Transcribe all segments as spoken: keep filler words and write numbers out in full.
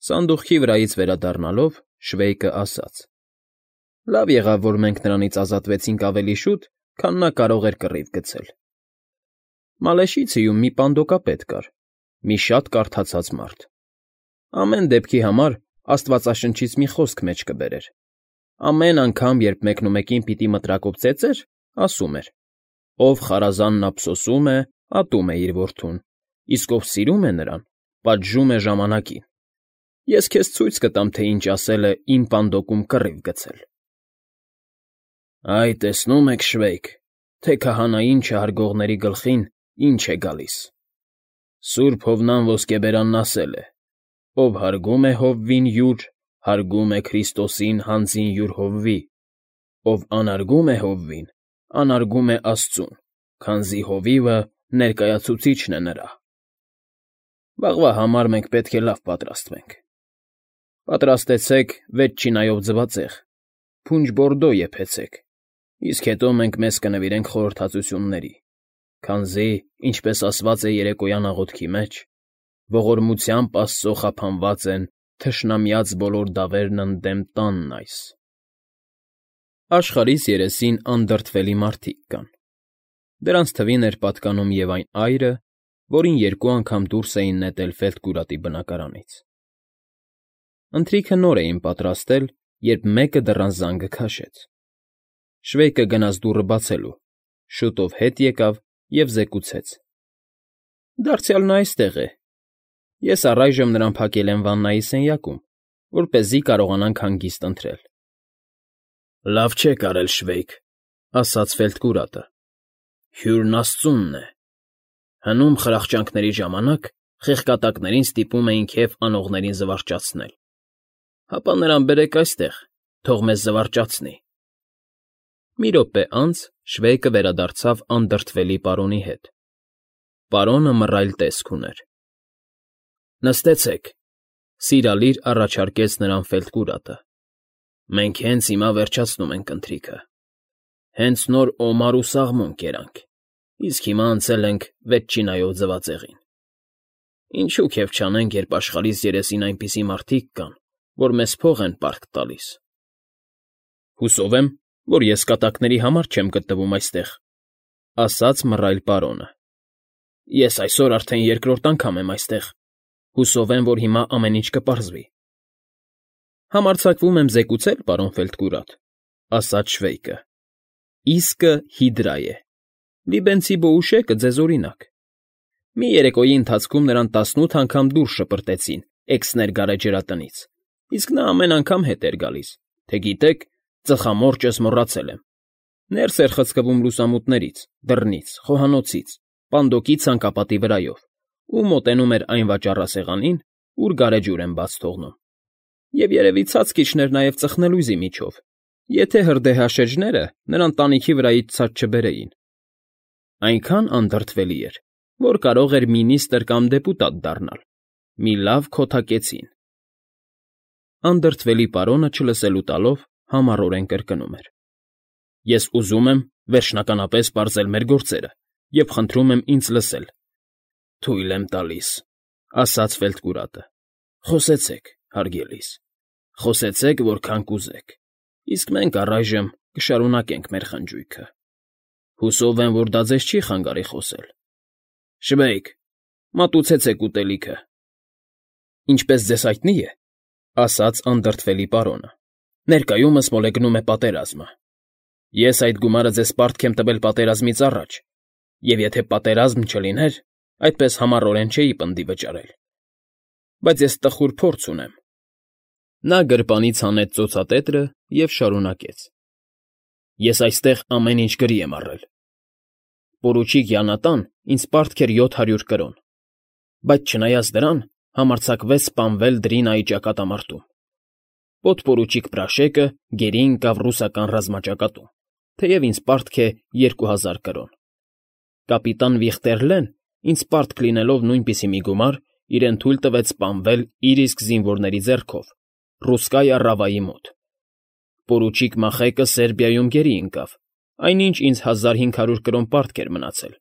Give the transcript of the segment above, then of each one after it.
Սանդուղքի վրայից վերադառնալով Շվեյկը ասաց. «Լավ եղավ, որ մենք նրանից ազատվեցինք ավելի շուտ, քան նա կարող էր կռիվ գցել»։ Մալեշիցիում մի պանդոկապետ կար, մի շատ կարդացած մարդ։ Ամեն դեպքի համար Աստվածաշնչից մի խոսք մեջ կբերեր։ Ամեն անգամ, երբ մեկնումեկին պիտի մտրակով ծեծեր, ասում էր. «Ով խարազանն ափսոսում է, ատում է իր որդուն, իսկ ով սիրում է նրան, պատժում է ժամանակին։ Ես քեզ ցույց կտամ, թե ինչ ասել է իմ պանդոկում կռիվ գցել»։ Այ տեսնում եք, Շվեյկ, թե քահանային չհարգողների գլխին ինչ է գալիս։ Սուրբ Հովնան ոսկեբերանն ասել է. «Ով հարգում է հովվին յուր, հարգում է Քրիստոսին հանձին յուր հովվի, ով անարգում է հովվին, անարգում է Աստծուն, քանզի հովիվը ներկայացուցիչն է նրա»։ Վաղվա համար մենք պետք է լավ պատրաստվենք։ Պատրաստեցեք վեց չինայով ձվածեղ, փունջ բորդո եփեցեք, իսկ հետո մենք մեզ կնվիրենք խորհրդածությունների, քանզի, ինչպես ասված է երեկոյան աղոթքի մեջ, ողորմությամբ Աստծո խափանված են թշնամյաց բոլոր դավերն ընդդեմ տանն այս։ Աշխարհիս երեսին անդրդվելի մարդիկ կան։ Դրանց թվին էր պատկանում և այն այրը, որին երկու անգամ դուրս էին նետել ֆելտկուրատի բնակարանից։ Ընթրիքը նոր էին պատրաստել, երբ մեկը դռան զանգը քաշեց։ Շվեյկը գնաց դուռը բացելու, շուտով հետ եկավ և զեկուցեց. «Դարձյալ նա այստեղ է։ Ես առայժմ նրան փակել եմ վաննայի սենյակում, որպեսզի կարողանանք հանգիստ ընթրել»։ «Լավ չեք արել, Շվեյկ,֊ ասաց ֆելտկուրատը,֊ հյուրն Աստծունն է։ Հնում խրախճանքների ժամանակ խեղկատակներին ստիպում էին քեֆ անողներին զվարճացնել։ Հապա նրան բերեք այստեղ, թող մեզ զվարճացնի»։ Մի րոպե անց Շվեյկը վերադարձավ անդրդվելի պարոնի հետ։ Պարոնը մռայլ տեսք ուներ։ «Նստեցեք,֊ սիրալիր առաջարկեց նրան ֆելտկուրատը։ «Մենք հենց հիմա վերջացնում ենք ընթրիքը։ Հենց նոր օմար ու սաղմոն կերանք, իսկ հիմա անցել ենք վեցչինայով ձվածեղին։ Ինչու քեֆ չանենք, երբ աշխարհիս երեսին այնպիսի մարդիկ կան, որ մեզ փող են պարտք տալիս»։ «Հուսով եմ, որ ես կատակների համար չեմ գտնվում այստեղ,֊ ասաց մռայլ պարոնը։ «Ես այսօր արդեն երկրորդ անգամ եմ այստեղ։ Հուսով եմ, որ հիմա ամեն ինչ կպարզվի»։ «Համարձակվում եմ զեկուցել, պարոն Ֆելտկուրատ,֊ ասաց Շվեյկը,֊ իսկը հիդրա է։ Լիբենցի Բոուշեկը ձեզ օրինակ։ Մի երեկոյի ընթացքում նրան տասնութ անգամ դուրս շպրտեցին էքսներ գարեջրատնից, իսկ նա ամեն անգամ հետ էր գալիս, թե գիտեք, ծխամորճս մոռացել եմ։ Ներս էր խցկվում լուսամուտներից, դռնից, խոհանոցից, պանդոկի ցանկապատի վրայով ու մոտենում էր այն վաճառասեղանին, ուր գարեջուր են բաց թողնում։ Եվ երևի ցած քիչներ նաև ծխնելույզի միջով, եթե հրդեհաշեջները նրան տանիքի վրայից ցած չբերեին։ Այնքան անդրդվելի էր, որ կարող էր մինիստր կամ դեպուտատ դառնալ։ Մի լավ քոթակեցին»։ Անդրդվելի պարոնը չլսելու տալով համառորեն կրկնում էր. «Ես ուզում եմ վերջնականապես պարզել մեր գործերը և խնդրում եմ ինձ լսել»։ «Թույլ եմ տալիս,֊ ասաց Ֆելտկուրատը,֊ խոսեցեք, հարգելիս, խոսեցեք, որքան կուզեք, իսկ մենք առայժմ կշարունակենք մեր խնջույքը։ Հուսով եմ, որ դա ձեզ չի խանգարի խոսել։ Շվեյկ, մատուցեցեք ուտելիքը»։ «Ինչպես ձեզ հայտնի է,֊ ասաց անդրդվելի պարոնը,֊ ներկայումս մոլեգնում է պատերազմը։ Ես այդ գումարը ձեզ պարտք եմ տվել պատերազմից առաջ, և եթե պատերազմ չլիներ, այդպես համառորեն չէի պնդի վճարել։ Բայց ես տխուր փորձ ունեմ»։ Նա գրպանից հանեց ծոցատետրը և շարունակեց. «Ես այստեղ ամեն ինչ գրի եմ առել։ Պորուչիկ Յանատան ինձ պարտք էր յոթ հարյուր կրոն, բայց չնայած դրան համարձակվեց սպանվել Դրինայի ճակատամարտում։ Պոդպորուչիկ Պրաշեկը գերի ընկավ ռուսական ռազմաճակատում, թեև ինձ պարտք է երկու հազար կրոն։ Կապիտան Վիխտերլեն, ինձ պարտք լինելով նույնպիսի մի գումար, իրեն թույլ տվեց սպանվել իր իսկ զինվորների ձեռքով Ռուսկայա Ռավայի մոտ։ Պորուչիկ Մախեկը Սերբիայում գերի ընկավ, այնինչ ինձ հազար հինգ հարյուր կրոն պարտք էր մնացել,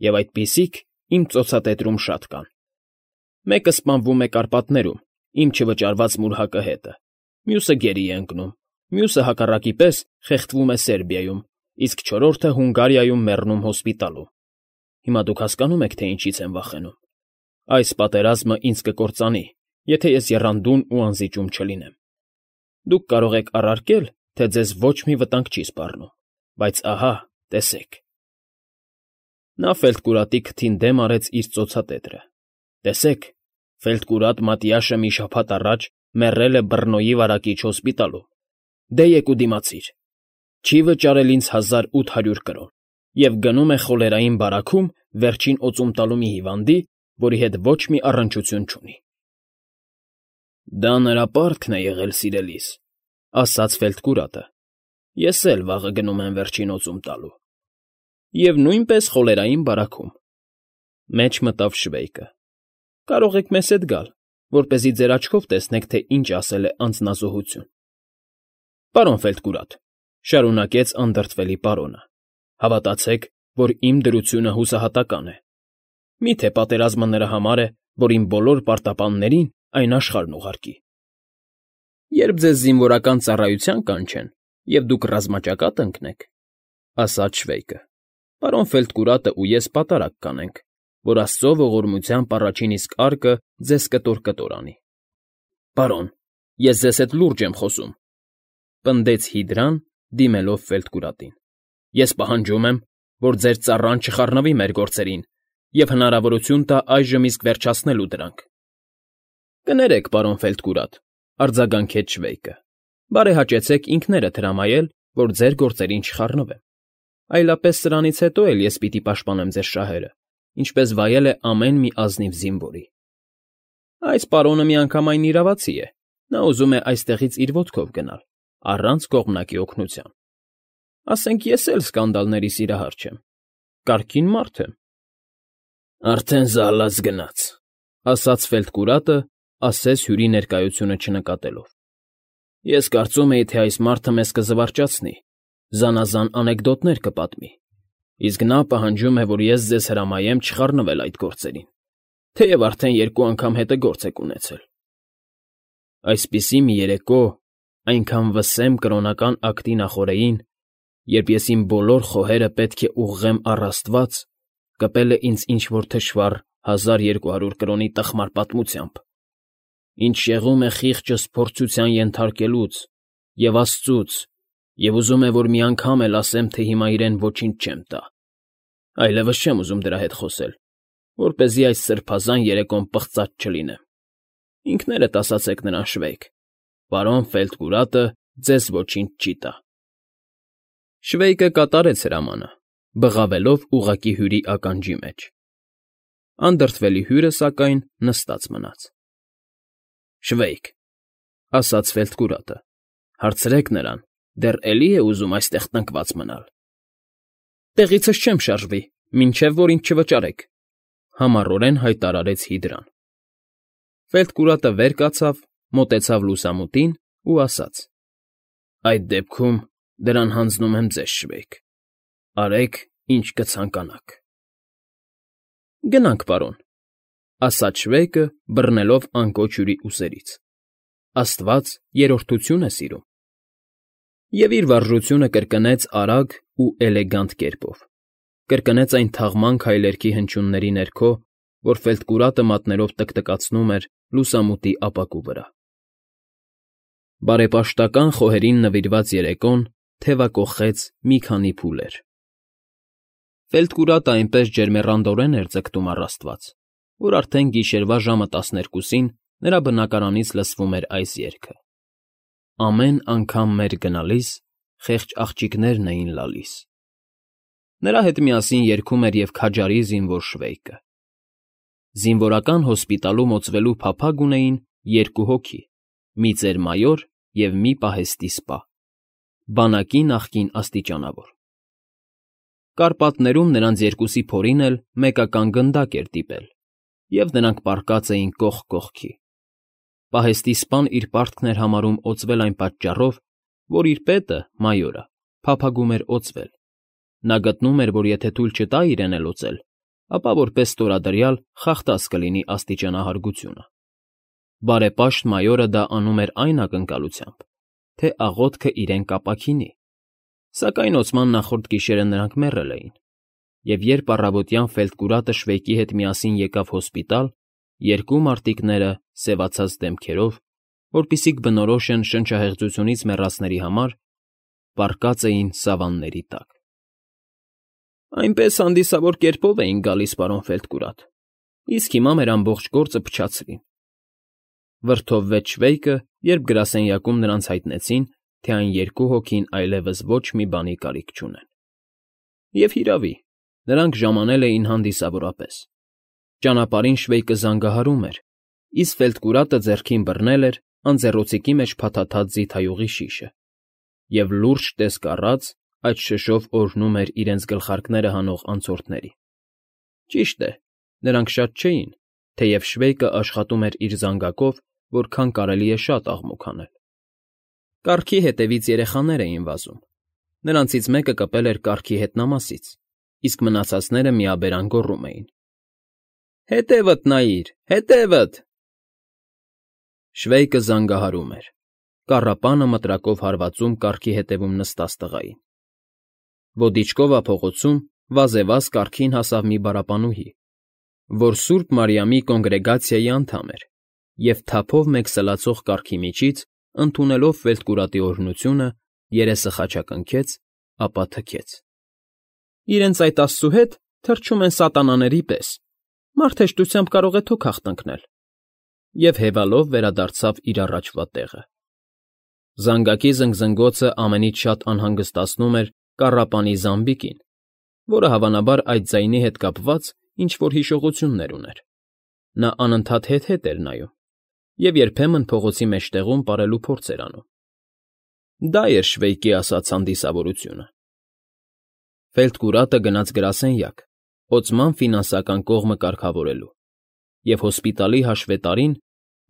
և այդպիսիք իմ ծոցատետրում շատ կան։ Մեկը սպանվում է Կարպատներում, իմ չվճարված մուրհակը հետը, մյուսը գերի է ընկնում, մյուսը հակառակի պես խեղդվում է Սերբիայում, իսկ չորրորդը Հունգարիայում մեռնում հոսպիտալում։ Հիմա դուք հասկանում եք, թե ինչից եմ վախենում։ Այս պատերազմը ինձ կկործանի, եթե ես եռանդուն ու անզիջում չլինեմ։ Դուք կարող եք առարկել, թե ձեզ ոչ մի վտանգ չի սպառնում, բայց ահա, տեսեք։ Նա Ֆելդկուրատի քթին դեմ արեց իր ծոցատետրը։ Տեսեք, Ֆելդկուրատ Մատիաշը մի շաբաթ առաջ մեռել է Բռնոյի վարակիչ հոսպիտալում։ Դե եկ ու դիմացիր։ Չի վճարել ինձ հազար ութ հարյուր կրոն և գնում է խոլերային բարաքում վերջին օծում տալու մի հիվանդի, որի հետ ոչ մի առնչություն չունի։ Դա նրա պարտքն է եղել, սիրելիս, ասաց Ֆելդկուրատը։ Ես էլ վաղը գնում եմ վերջին օծում տալու։ Եվ նույնպես խոլերային բարաքում։ Մեջ մտավ Շվեյկը։ Կարող եք մեզ հետ գալ, որպեսզի ձեր աչքով տեսնեք, թե ինչ ասել է անձնազոհություն։ Պարոն Ֆելդկուրատ, շարունակեց անդրդվելի պարոնը, հավատացեք, որ իմ դրությունը հուսահատական է։ Մի՞թե պատերազմը նրա համար է, որ իմ բոլոր պարտապաններին այն աշխարհն ուղարկի։ Երբ ձեզ զինվորական ծառայության կանչեն, և դուք ռազմաճակատ ընկնեք, ասաց Շվեյկը, պարոն Ֆելդկուրատը ու ես պատարակ կանենք, որ Աստծո ողորմությամբ առաջին իսկ արկը ձեզ կտոր-կտոր անի։ Պարոն, ես ձեզ հետ լուրջ եմ խոսում, պնդեց Հիդրան, դիմելով Ֆելդկուրատին։ Ես պահանջում եմ, որ ձեր ծառան չխառնվի մեր գործերին և հնարավորություն տա այժմ իսկ վերջացնելու դրանք։ Կներեք, պարոն Ֆելդկուրատ, արձագանքեց Շվեյկը, բարեհաճեցեք ինքներդ հրամայել, որ ձեր գործերին չխառնվեմ։ Այլապես սրանից հետո էլ ես պիտի պաշտպանեմ ձեր շահերը, ինչպես վայել է ամեն մի ազնիվ զինվորի։ Այս պարոնը միանգամայն իրավացի է, նա ուզում է այստեղից իր ոտքով գնալ, առանց կողմնակի օգնության։ Ասենք ես էլ սկանդալների սիրահար չեմ, կարգին մարդ եմ։ Արդեն զալած գնաց, ասաց Ֆելդկուրատը, ասես հյուրի ներկայությունը չնկատելով։ Ես կարծում էի, թե այս մարդը մեզ կզվարճացնի, զանազան անեկդոտներ կպատմի, իսկ նա պահանջում է, որ ես ձեզ հրամայեմ չխառնվել այդ գործերին, թեև արդեն երկու անգամ հետը գործ եք ունեցել։ Այսպիսի մի երեկո, այնքան վսեմ կրոնական ակտի նախօրեին, երբ ես իմ բոլոր խոհերը պետք է ուղղեմ առ Աստված, կպել է ինձ ինչ֊որ թշվառ հազար երկու հարյուր կրոնի տխմար պատմությամբ, ինչ շեղում է խիղճս փորձության ենթարկելուց և Աստծուց, և ուզում է, որ մի անգամ էլ ասեմ, թե հիմա իրեն ոչինչ չեմ տա։ Այլևս չեմ ուզում դրա հետ խոսել, որպեսզի այս սրբազան երեկոն պղծած չլինեմ։ Ինքներդ ասացեք նրան, Շվեյկ, պարոն Ֆելդկուրատը ձեզ ոչինչ չի տա։ Շվեյկը կատարեց հրամանը, բղավելով ուղղակի հյուրի ականջի մեջ։ Անդրդվելի հյուրը, սակայն, նստած մնաց։ Շվեյկ, ասաց Ֆելդկուրատը, հարցրեք նրան, դեռ էլի է ուզում այստեղ տնկված մնալ։ Տեղիցս չեմ շարժվի, մինչև որ ինձ չվճարեք, համառորեն հայտարարեց Հիդրան։ Ֆելդկուրատը վեր կացավ, մոտեցավ լուսամուտին ու ասաց. Այդ դեպքում դրան հանձնում եմ ձեզ, Շվեյկ, արեք, ինչ կցանկանաք։ Գնանք, պարոն, ասաց Շվեյկը, բռնելով անկոչ հյուրի ուսերից։ Աստված երրորդություն է սիրում։ Եվ իր վարժությունը կրկնեց արագ ու էլեգանտ կերպով, կրկնեց այն թաղման քայլերքի հնչյունների ներքո, որ Ֆելդկուրատը մատներով տկտկացնում էր լուսամուտի ապակու վրա։ Բարեպաշտական խոհերին նվիրված երեկոն թևակոխեց մի քանի փուլեր։ Ֆելդկուրատը այնպես ջերմեռանդորեն էր ձգտում առ Աստված, որ արդեն գիշերվա ժամը տասներկուսին նրա բնակարանից լսվում էր այս երգը. Ամեն անգամ մեր գնալիս խեղճ աղջիկներն էին լալիս։ Նրա հետ միասին երգում էր և քաջարի զինվոր Շվեյկը։ Զինվորական հոսպիտալում օծվելու փափագ ունեին երկու հոգի՝ մի ծեր֊մայոր և մի պահեստի սպա, բանակի նախկին աստիճանավոր։ Կարպատներում նրանց երկուսի փորին էլ մեկական գնդակ էր դիպել, և նրանք պառկած էին կողք կողքի։ Պահեստի սպան իր պարտքն էր համարում օծվել այն պատճառով, որ իր պետը՝ մայորը, փափագում էր օծվել։ Նա գտնում էր, որ եթե թույլ չտա իրեն էլ օծել, ապա որպես ստորադրյալ խախտած կլինի աստիճանահարգությունը։ Բարեպաշտ մայորը դա անում էր այն ակնկալությամբ, թե աղոթքը իրեն կապաքինի, սակայն օծման նախորդ գիշերը նրանք մեռել էին, և երբ առավոտյան Ֆելտկուրատը Շվեյկի հետ միասին եկավ հոսպիտալ, երկու մարտիկները, սևացած դեմքերով, որպեսզի կբնորոշեն շնչահեղձությունից մեռածների համար, պառկած էին սավանների տակ։ ֊ Այնպես հանդիսավոր կերպով էինք գալիս, պարոն Ֆելտկուրատ, իսկ հիմա մեր ամբողջ գործը փչացրին,֊ վրդովվեց Շվեյկը, երբ գրասենյակում նրանց հայտնեցին, թե այն երկու հոգին այլևս ոչ մի բանի կարիք չունեն։ Եվ հիրավի, նրանք ժամանել էին հանդիսավորապես. ճանապարհին Շվեյկը զանգահարում էր, իսկ Ֆելտկուրատը ձեռքին բռնել էր անձեռոցիկի մեջ փաթաթած ձիթայուղի շիշը, և լուրջ տեսք առած այդ շշով օրհնում էր իրենց գլխարկները հանող անցորդներին։ Ճիշտ է, նրանք շատ չէին, թեև Շվեյկը աշխատում էր իր զանգակով, որքան կարելի է շատ աղմուկ անել։ Կառքի հետևից երեխաներ էին վազում, նրանցից մեկը կպել էր կառքի հետնամասից, իսկ մնացածները միաբերան գոռում էին. «Հետևդ նայիր, հետևդ»։ Շվեյկը զանգահարում էր, կառապանը մտրակով հարվածում կառքի հետևում նստած տղային։ Ոդիչկովա փողոցում վազևազ կառքին հասավ մի պարապանուհի, որ Սուրբ Մարիամի կոնգրեգացիայի անդամ էր և թափով մեկ սլացող կառքի միջից, ընդունելով Ֆելտկուրատի օրհնությունը, երեսը խաչակնքեց, ապա թքեց։ ֊ Իրենց այդ աստծու հետ թռչում են սատանաների պես, մարդ հեշտությամբ կարող է թոք հաղթանքնել,֊ և հևալով վերադարձավ իր առաջվա տեղը։ Զանգակի զնգզնգոցը ամենից շատ անհանգստացնում էր կառապանի Զամբիկին, որը հավանաբար այդ ձայնի հետ կապված ինչ֊որ հիշողություններ ուներ։ Նա անընդհատ հետ֊հետ էր նայում և երբեմն փողոցի մեջտեղում պարելու փորձ էր անում։ Դա էր Շվեյկի ասած հանդիսավորությունը։ Ֆելտկուրատը գնաց գրասենյակ, օծման ֆինանսական կողմը կարգավորելու, և հոսպիտալի հաշվետարին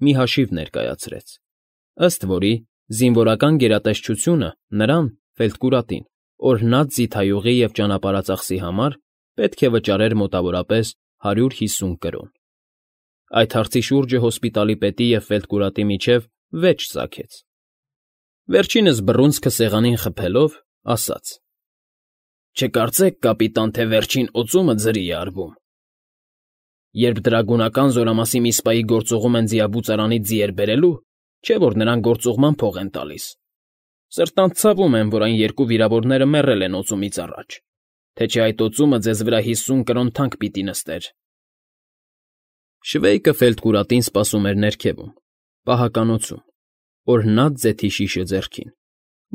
մի հաշիվ ներկայացրեց, ըստ որի զինվորական գերատեսչությունը նրան՝ Ֆելտկուրատին, օրհնած ձիթայուղի և ճանապարհածախսի համար պետք է վճարեր մոտավորապես հարյուր հիսուն կրոն։ Այդ հարցի շուրջը հոսպիտալի պետի և Ֆելտկուրատի միջև վեճ ծագեց։ Վերջինս բռունցքը սեղանին խփելով, ասաց. «Չկարծեք, կապիտան, թե վերջին օծումը ձրի է արվում։ Երբ դրագունական զորամասի մի սպայի գործուղում են ձիաբուծարանից ձիեր բերելու, չէ՞ որ նրան գործուղման փող են տալիս։ Սրտանց ցավում եմ, որ այն երկու վիրավորները մեռել են օծումից առաջ, թե չէ այդ օծումը ձեզ վրա հիսուն կրոն թանկ պիտի նստեր»։ Շվեյկը Ֆելտկուրատին սպասում էր ներքևում, պահականոցում, օրհնած ձեթի շիշը ձեռքին,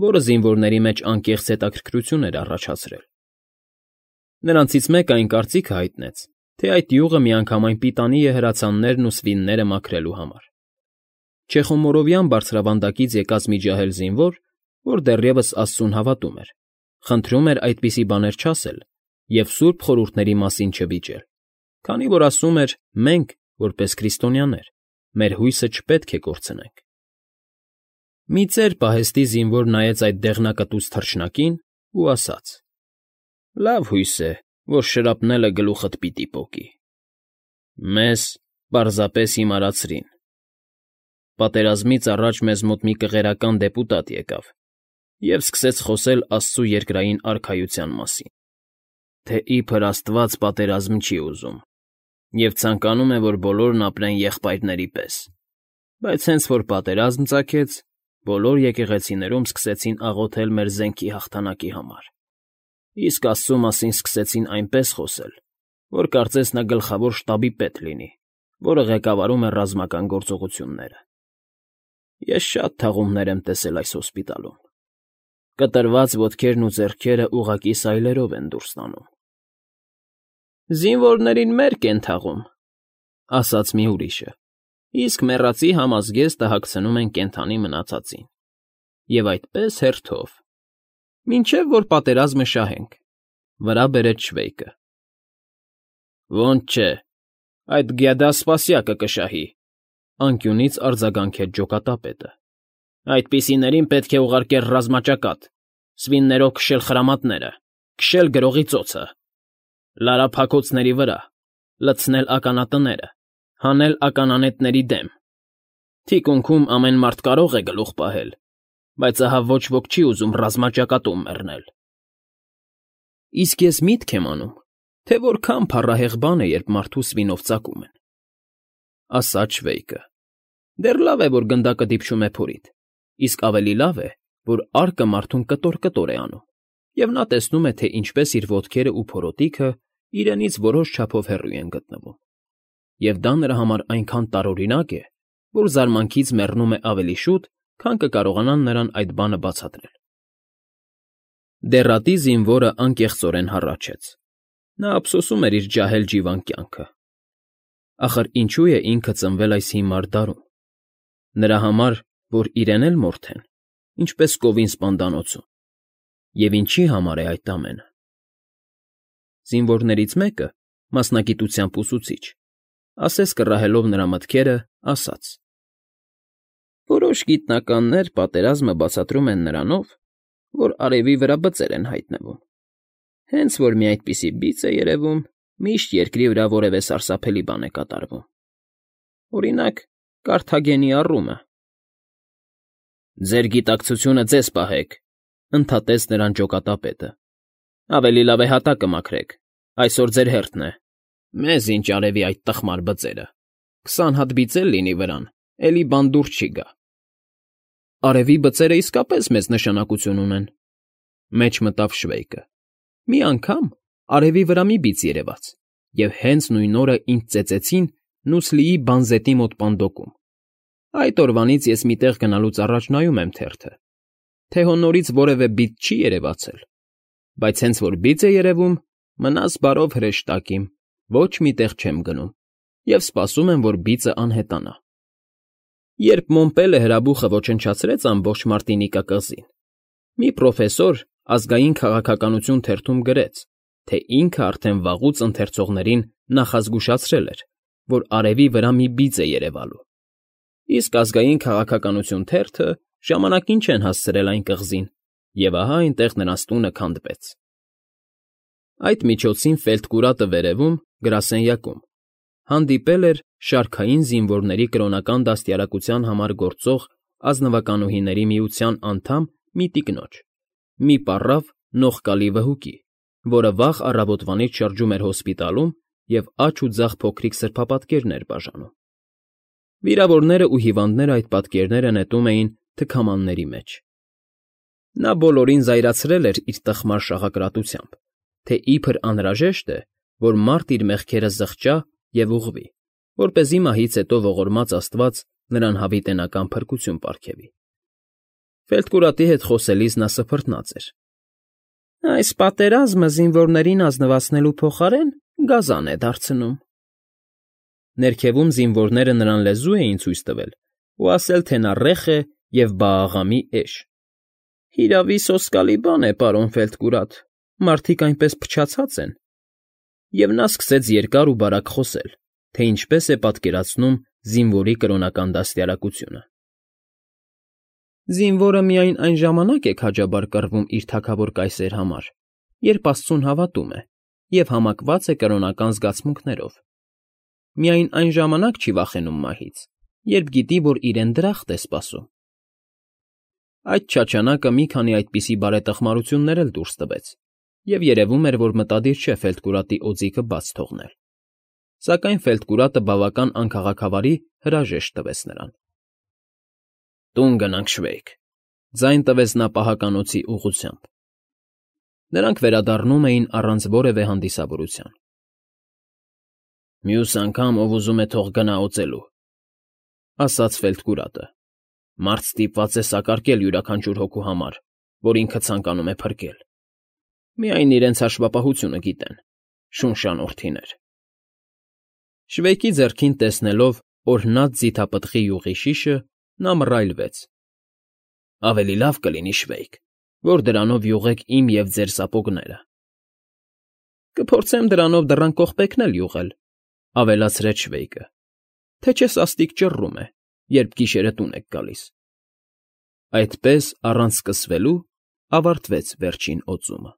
որը զինվորների մեջ անկեղծ հետաքրքրություն էր առաջացրել։ Նրանցից մեկը այն կարծիքը հայտնեց, թե այդ յուղը միանգամայն պիտանի է հրացաններն ու սվինները մաքրելու համար։ Չեխոմորովյան բարձրավանդակից եկած մի ջահել զինվոր, որ դեռևս աստծուն հավատում էր, խնդրում էր այդպիսի բաներ չասել և սուրբ խորհուրդների մասին չվիճել, քանի որ ասում էր, մենք, որպես քրիստոնյաներ, մեր հույսը չպետք է կորցնենք։ Մի ծեր պահեստի զինվոր նայեց այդ դեղնակտուց թռչնակին ու ասաց. «Լավ հույս է, որ շրապնելը գլուխդ պիտի պոկի։ Մեզ պարզապես հիմարացրին։ Պատերազմից առաջ մեզ մոտ մի կղերական դեպուտատ եկավ և սկսեց խոսել աստծու երկրային արքայության մասին, թե իբր Աստված պատերազմ չի ուզում և ցանկանում է, որ բոլորն ապրեն եղբայրների պես, բայց հենց որ պատերազմ ծագեց, բոլոր եկեղեցիներում սկսեցին աղոթել մեր զենքի հաղթանակի համար, իսկ Աստծու մասին սկսեցին այնպես խոսել, որ կարծես նա գլխավոր շտաբի պետ լինի, որը ղեկավարում է ռազմական գործողությունները։ Ես շատ թաղումներ եմ տեսել այս հոսպիտալում. կտրված ոտքերն ու ձեռքերը ուղղակի սայլերով են դուրս տանում»։ «Զինվորներին մերկ են թաղում,֊ ասաց մի ուրիշը,֊ իսկ մեռածի համազգեստը հագցնում են կենդանի մնացածին, և այդպես հերթով, մինչև որ պատերազմը շահենք,֊ վրա բերեց Շվեյկը։ «Ոնց չէ, այդ գյադա սպասյակը կշահի,֊ անկյունից արձագանքեց ջոկատապետը,֊ այդպիսիներին պետք է ուղարկել ռազմաճակատ, սվիններով քշել խրամատները, քշել գրողի ծոցը, լարավ հագոցների վրա, լցնել ականատները, հանել ականանետերի դեմ, Թիկունքում ամեն մարդ կարող է գլուխ պահել, բայց ահա ոչ ոք չի ուզում ռազմաճակատում մեռնել։ Իսկ ես միտք եմ անում, թե որքան փառահեղ բան է, երբ մարդու սվինով ծակում են, ասաց Շվեյկը։ Դեռ լավ է, որ գնդակը դիպչում է փորիդ, իսկ ավելի լավ է, որ արկը մարդուն կտոր-կտոր է անում, և նա տեսնում է, թե ինչպես իր ոտքերը ու փորոտիքը իրենից որոշ չափով հեռու են գտնվում, և դա նրա համար այնքան տարօրինակ է, որ զարմանքից մեռնում է ավելի շուտ, քան կկարողանան նրան այդ բանը բացատրել։ Դեռատի զինվորը անկեղծորեն հառաչեց։ Նա ափսոսում էր իր ջահել ջիվան կյանքը։ Ախր ինչու է ինքը ծնվել այս հիմար դարում։ Նրա համար, որ իրեն էլ մորթեն, ինչպես կովին սպանդանոցում, և ինչի համար է այդ ամենը։ Զինվորներից մեկը, մասնագիտությամբ ուսուցիչ, ասես կռահելով նրա մտքերը, ասաց. Որոշ գիտնականներ պատերազմը բացատրում են նրանով, որ արևի վրա բծեր են հայտնվում։ Հենց որ մի այդպիսի բիծ է երևում, միշտ երկրի վրա որևէ սարսափելի բան է կատարվում։ Օրինակ, Կարթագենի առումը։ Ձեր գիտակցությունը ձեզ պահեք, ընդհատեց նրան ջոկատապետը։ Ավելի լավ է հատակը մաքրեք, այսօր ձեր հերթն է։ Մեզ ինչ արևի այդ տխմար բծերը։ Քսան հատ բիծ էլ լինի վրան, էլի բան դուրս չի գա։ Արևի բծերը իսկապես մեծ նշանակություն ունեն, մեջ մտավ Շվեյկը։ Մի անգամ արևի վրա մի բիծ երևաց, և հենց նույն օրը ինձ ծեծեցին Նուսլիի բանզետի մոտ պանդոկում։ Այդ օրվանից ես մի տեղ գնալուց առաջ նայում եմ թերթը, թե հո նորից որևէ բիծ չի երևացել, բայց հենց որ բիծ է երևում, մնաս բարով հրեշտակ իմ, ոչ մի տեղ չեմ գնում, և սպասում եմ, որ բիծը անհետանա։ Երբ Մոմպելը հրաբուխը ոչնչացրեց ամբողջ Մարտինիկա կղզին, մի պրոֆեսոր ազգային քաղաքականություն թերթում գրեց, թե ինքը արդեն վաղուց ընթերցողներին նախազգուշացրել էր, որ արևի վրա մի բիծ է երևալու, իսկ ազգային քաղաքականություն թերթը ժամանակին չեն հասցրել այն կղզին, և ահա այնտեղ նրանց տունը քանդվեց։ Այդ միջոցին Ֆելտկուրատը վերևում, գրասենյակում, հանդիպել էր շարքային զինվորների կրոնական դաստիարակության համար գործող ազնվականուհիների միության անդամ մի տիկնոջ, մի պառավ նողկալի վհուկի, որը վաղ առավոտվանից շրջում էր հոսպիտալում և աջ ու ձախ փոքրիկ սրբապատկերներ բաժանում։ Վիրավորներն ու հիվանդները այդ պատկերները նետում էին թքամանների մեջ։ Նա բոլորին զայրացրել էր իր տխմար շաղակրատությամբ, թե իբր անհրաժեշտ է, որ մարդ իր մեղքերը զղջա և ուղղվի, որպեսզի մահից հետո ողորմած Աստված նրան հավիտենական փրկություն պարգևի։ Ֆելտկուրատի հետ խոսելիս նա սփռտնաց էր։ Այս պատերազմը զինվորներին ազնվացնելու փոխարեն գազան է դարձնում։ Ներքևում զինվորները նրան լեզու էին ցույց տվել ու ասել, թե նա ռեխ է և բաաղամի էշ։ Հիրավի, սոսկալի բան է, պարոն Ֆելտկուրատ, մարդիկ այնպես փչացած են։ Եվ նա սկսեց երկար ու բարակ խոսել, թե ինչպես է պատկերացնում զինվորի կրոնական դաստիարակությունը։ Զինվորը միայն այն ժամանակ է քաջաբար կռվում իր թագավոր կայսեր համար, երբ աստծուն հավատում է և համակված է կրոնական զգացմունքներով։ Միայն այն ժամանակ չի վախենում մահից, երբ գիտի, որ իրեն դրախտ է սպասում։ Այդ չաչանակը մի քանի այդպիսի բարետխմարություններ էլ դուրս տվեց, և երևում էր, որ մտադիր չէ Ֆելտկուրատի օձիքը բաց թողնել։ Սակայն Ֆելտկուրատը բավական անքաղաքավարի հրաժեշտ տվեց նրան։ Տուն գնանք, Շվեյկ, ձայն տվեց նա պահականոցի ուղղությամբ։ Նրանք վերադառնում էին առանց որևէ հանդիսավորության։ Մյուս անգամ ով ուզում է թող գնա օծելու, ասաց Ֆելտկուրատը։ Մարդ ստիպված է սակարկել յուրաքանչյուր հոգու համար, որ ինքը ցանկանում է փրկել։ Միայն իրենց հաշվապահությունը գիտեն, շունշանորթիներ։ Շվեյկի ձեռքին տեսնելով օրհնած ձիթապտղի յուղի շիշը, նա մռայլվեց։ Ավելի լավ կլինի, Շվեյկ, որ դրանով յուղեք իմ և ձեր սապոգները։ Կփորձեմ դրանով դռան կողպեքն էլ յուղել, ավելացրեց Շվեյկը, թե չէ սաստիկ ճռռում է, երբ գիշերը տուն եք գալիս։ Այդպես, առանց սկսվելու, ավարտվեց վերջին օծումը։